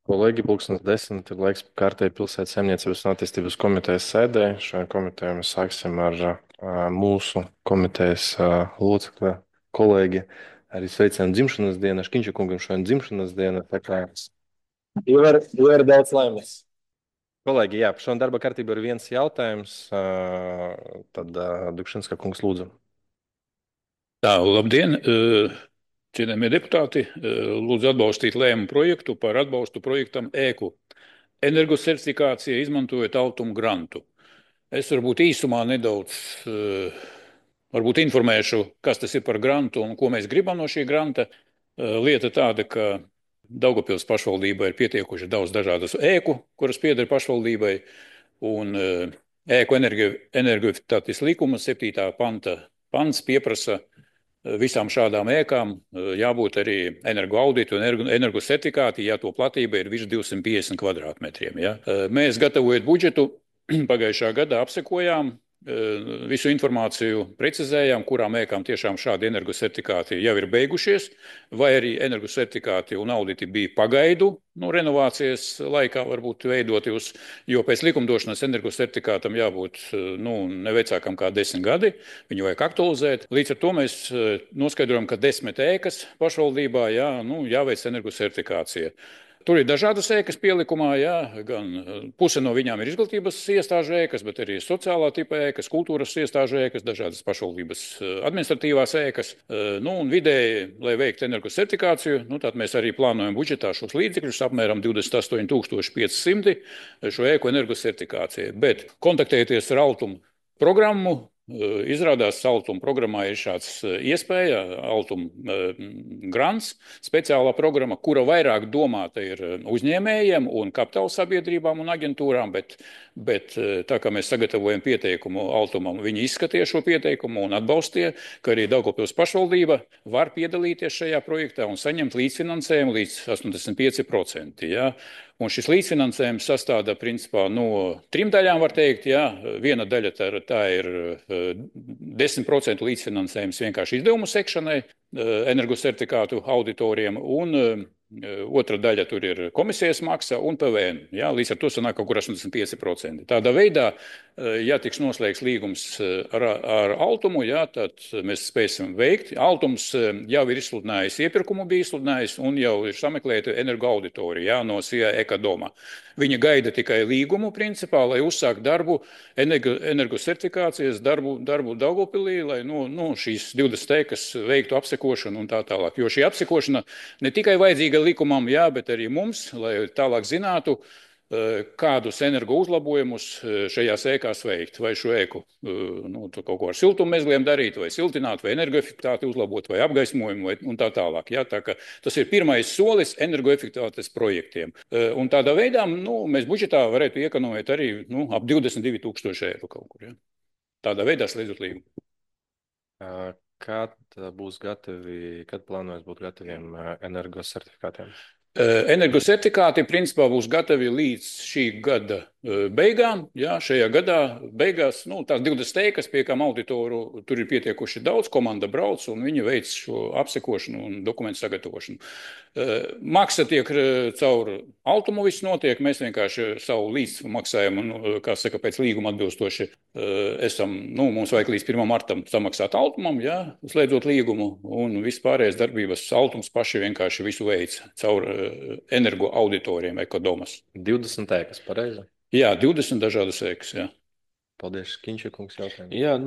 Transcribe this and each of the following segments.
Kolēģi, 10:10 ir laiks kārtēji pilsētas saimniecības un attīstības komitejas sēdē. Šajā komitejā mēs sāksim ar mūsu komitejas locekli, kolēģi. Arī sveicam dzimšanas dienu. Škiņša kungam šodien dzimšanas diena. Tā kā iver daudz laimes. Kolēģi, jā, šodien darba kārtībā ir viens jautājums. Tad Dukšinska kungs lūdzu. Tā, labdien, cienījamie deputāti. Lūdzu atbalstīt lēmumu projektu par atbalstu projektam ēku energosertifikācija, izmantojot Altum grantu. Es varbūt īsumā nedaudz varbūt informēšu, kas tas ir par grantu un ko mēs gribam no šī granta. Lieta tāda, ka Daugavpils pašvaldībai ir pietiekuši daudz dažādas ēku, kuras pieder pašvaldībai, un ēku energoefektivitātes likuma 7. pants pieprasa visām šādām ēkām jābūt arī energoauditu un energosertifikāti, ja to platība ir virs 250 kvadrātmetriem. Ja. Mēs, gatavojot budžetu, pagājušā gadā apsekojām visu informāciju, precizējām, kurām ēkām tiešām šādi energosertifikāti jau ir beigušies, vai arī energosertifikāti un auditi bija pagaidu renovācijas laikā varbūt veidoti uz, jo pēc likumdošanas energosertifikātam jābūt ne vecākam kā 10 gadi, viņu vajag aktualizēt. Līdz ar to mēs noskaidrojam, ka 10 ēkas pašvaldībā jāveic energosertifikācija. Tur ir dažādas ēkas pielikumā, jā, gan puse no viņām ir izglītības iestāžu ēkas, bet arī sociālā tipa ēkas, kultūras iestāžu ēkas, dažādas pašvaldības administratīvās ēkas. Un vidēji, lai veiktu energosertifikāciju, tad mēs arī plānojam budžetā šos līdzekļus apmēram 28,500 šo ēku energosertifikācijai. Bet kontaktējieties ar Altumu programmu. Izrādās, Altuma programmā ir šāds iespēja, Altuma grants, speciālā programma, kura vairāk domāta ir uzņēmējiem un kapitāla sabiedrībām un aģentūrām, bet tā kā mēs sagatavojam pieteikumu Altumam, viņi izskatīja šo pieteikumu un atbalstīja, ka arī Daugavpils pašvaldība var piedalīties šajā projektā un saņemt līdzfinansējumu līdz 85%. Ja? Un šis līdzfinansējums sastāvda principā no 3 daļām, var teikt. Jā. Viena daļa tā ir 10% līdzfinansējums vienkārši izdevumu sekšanai, energosertifikātu auditoriem, un otra daļa tur ir komisijas maksa un PVN. Jā, līdz ar to sanāk kaut kur 85%. Tādā veidā, ja tiks noslēgts līgums ar Altumu, jā, tad mēs spēsim veikt. Altums jau ir izsludinājis iepirkumu, bija izsludinājis un jau ir sameklēta energoauditorija no SIA Ekadoma. Viņa gaida tikai līgumu principā, lai uzsākt darbu, energosertifikācijas darbu Daugavpilī, lai šīs 20 ēkas veiktu apsekošanu un tā tālāk. Jo šī apsekošana ne tikai vajadzīga likumam, jā, bet arī mums, lai tālāk zinātu, kādus energo uzlabojumus šajās ēkās veikt. Vai šo ēku kaut ko ar siltummezgliem darīt, vai siltināt, vai energoefektivitāti uzlabot, vai apgaismojumu, un tā tālāk. Jā, tā ka tas ir pirmais solis energoefektivitātes projektiem. Un tādā veidā mēs budžetā varētu iekonomēt arī ap 22,000 eiro kaut kur. Jā. Tādā veidā slēdzot līgumu. Kad būs gatavi, kad plānojas būt gataviem energosertifikātiem? Energosertifikāti principā būs gatavi līdz šī gada beigām. Jā, šajā gadā beigās tās 20 ēkas, pie kām auditoru tur ir pietiekuši daudz, komanda brauc un viņi veic šo apsekošanu un dokumentu sagatavošanu. Maksa tiek caur Altumu viss notiek, mēs vienkārši savu līdzmaksājumu, kā saka, pēc līguma atbilstoši esam, mums vajag līdz 1. martam samaksāt Altumam, jā, slēdzot līgumu, un vispārējais darbības Altums paši vienkārši visu veic caur energo auditoriem Ekodomas. 20 ēkas, pareizi? Jā, 20 dažādas ēkas, jā. Paldies, Kiņša kungs, jautājumu. Jā,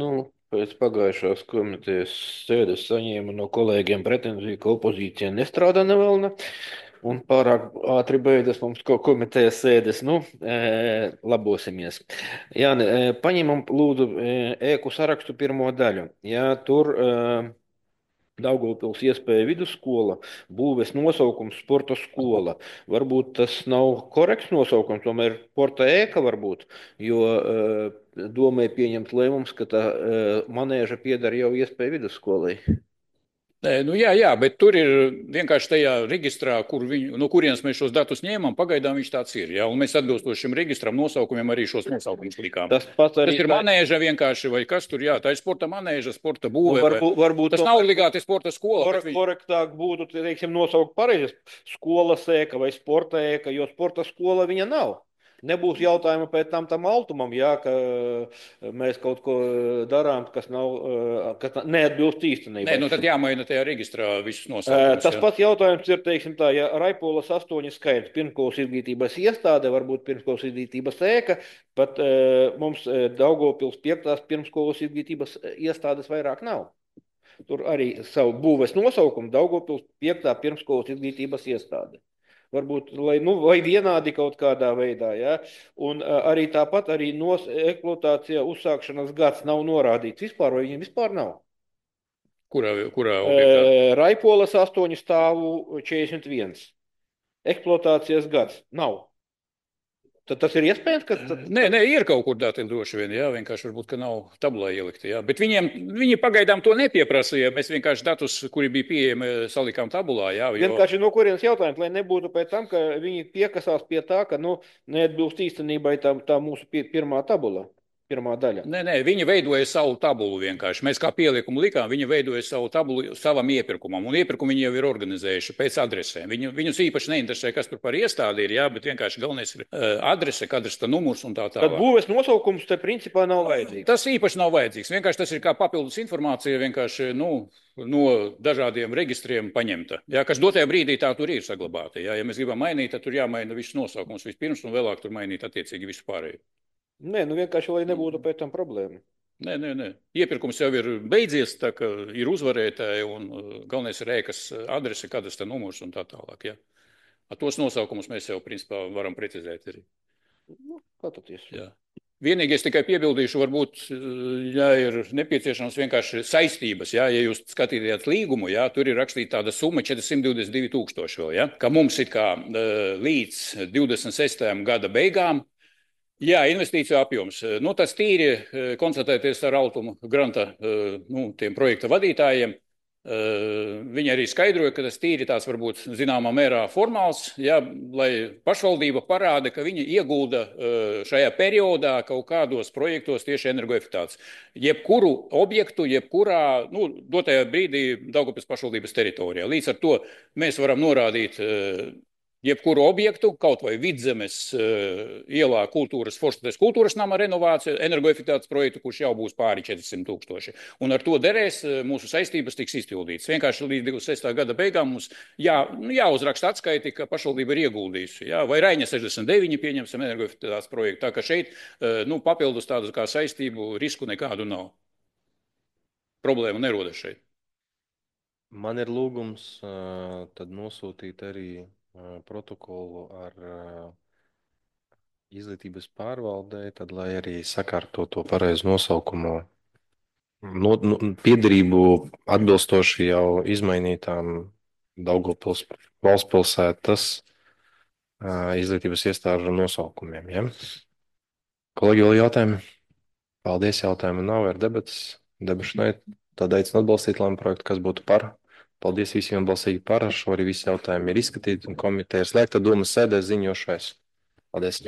pēc pagājušās komitejas sēdes saņēma no kolēģiem pretenziju, ka opozīcija nestrādā nevelna. Un pārāk ātri beidzas mums komitejas sēdes. Labosimies. Jā, paņemam lūdzu ēku sarakstu pirmo daļu. Jā, tur Daugavpils iespēja vidusskola, būves nosaukums sporta skola. Varbūt tas nav korekts nosaukums, tomēr sporta ēka varbūt, jo domai pieņemt lēmums, ka tā manēža pieder jau iespēja vidusskolai. Jā, bet tur ir vienkārši tajā reģistrā, no kurienes mēs šos datus ņēmām, pagaidām viņš tāds ir. Jā, un mēs atbilstoši šim registram nosaukumiem arī šos nosaukumus likām. Tas pats arī Tas ir manēža vienkārši, vai kas tur, jā, tā ir sporta manēža, sporta būve. varbūt Tas nav obligāti sporta skola. Korektāk būtu, teiksim, nosaukt pareizi skolas ēka vai sporta ēka, jo sporta skola viņa nav. Nebūs jautājuma pēc tam altumam, jā, ka mēs kaut ko darām, kas neatbilst īstenībai. Nē, tad jāmaina tajā reģistrā visus nosaukumus. Tas pats jautājums ir, teiksim tā, ja Raipolas 8 skaits pirmskolas izglītības iestāde, varbūt pirmskolas izglītības ēka, pat mums Daugavpils 5. pirmskolas izglītības iestādes vairāk nav. Tur arī savu būves nosaukumu Daugavpils 5. pirmskolas izglītības iestāde. Varbūt, vai vienādi kaut kādā veidā, ja? Un arī tāpat arī eksploatācijā uzsākšanas gads nav norādīts vispār, vai viņiem vispār nav. Kurā objektā? Raipolas 8 stāvu 41. Eksploatācijas gads nav. Tad tas ir iespējams, ka... Nē, ir kaut kur dati droši vien, jā, vienkārši varbūt, ka nav tabulā ielikti, jā. Bet viņi pagaidām to nepieprasīja, mēs vienkārši datus, kuri bija pieejami, salikām tabulā, jā. Vienkārši no kurienes jautājums, lai nebūtu pēc tam, ka viņi piekasās pie tā, ka, neatbilst īstenībai tā mūsu pirmā tabula. Pirmā daļa. Nē, viņi veidoja savu tabulu vienkārši. Mēs kā pielikumu likām, viņi veidoja savu tabulu savam iepirkumam. Un iepirkumu viņi jau ir organizējuši pēc adresēm. Viņus īpaši neinteresē, kas tur par iestādi ir, jā, bet vienkārši galvenais ir adrese, kadastra numurs un tā tālāk. Tad būves nosaukums te principā nav vajadzīgs. Tas īpaši nav vajadzīgs. Vienkārši tas ir kā papildus informācija vienkārši, no dažādiem reģistriem paņemta. Jā, kas dotajā brīdī tā tur ir saglabāta. Jā, ja mēs gribam mainīt, tad tur jāmaina visus nosaukums vispirms un vēlāk tur mainīt attiecīgi visu pārējo. Nē, vienkārši, lai nebūtu pēc tam problēma. Nē. Iepirkums jau ir beidzies, tā kā ir uzvarētāji un galvenais ir ēkas adrese, kadastra numurs un tā tālāk. Ja? Tos nosaukumus mēs jau, principā, varam precizēt arī. Paties. Jā. Vienīgais tikai piebildīšu, varbūt, ja ir nepieciešams vienkārši saistības, ja jūs skatījāt līgumu, ja, tur ir rakstīta tāda summa 422 000 vēl, ja, ka mums ir kā līdz 26. gada beigām. Jā, investīciju apjoms. Tas tīri konstatēties ar Altumu granta tiem projekta vadītājiem. Viņi arī skaidroja, ka tas tīri tās varbūt zināmā mērā formāls, jā, lai pašvaldība parāda, ka viņi iegulda šajā periodā kaut kādos projektos tieši energoefektāts. Jebkuru objektu, jebkurā, dotajā brīdī Daugavpils pašvaldības teritorijā. Līdz ar to mēs varam norādīt jebkuru objektu, kaut vai Vidzemes ielā Forštates kultūras nama renovācija, energoefektāts projektu, kurš jau būs pāri 400 000. Un ar to derēs mūsu saistības tiks izpildītas. Vienkārši līdz 26. gada beigām mums jāuzraksta atskaiti, ka pašvaldība ir ieguldījusi. Jā, vai Raiņa 69 pieņemsim energoefektāts projektu. Tā ka šeit papildus tādu kā saistību risku nekādu nav. Problēma nerodas šeit. Man ir lūgums tad nosūtīt arī protokolu ar izglītības pārvaldē, tad lai arī sakārto to pareizu nosaukumu, piederību atbilstoši jau izmainītām Daugavpils valsts pilsētas izglītības iestāžu nosaukumiem. Ja? Kolēģi, vēl jautājumi? Paldies, jautājumu nav, ir debatas. Debašanai tad aicinu atbalstīt lēmumu projektu, kas būtu par. Paldies visiem balsīgi par. Ar šo arī visi jautājumi ir izskatīti un komiteja ir slēgta. Domas sēdē ziņošais. Paldies.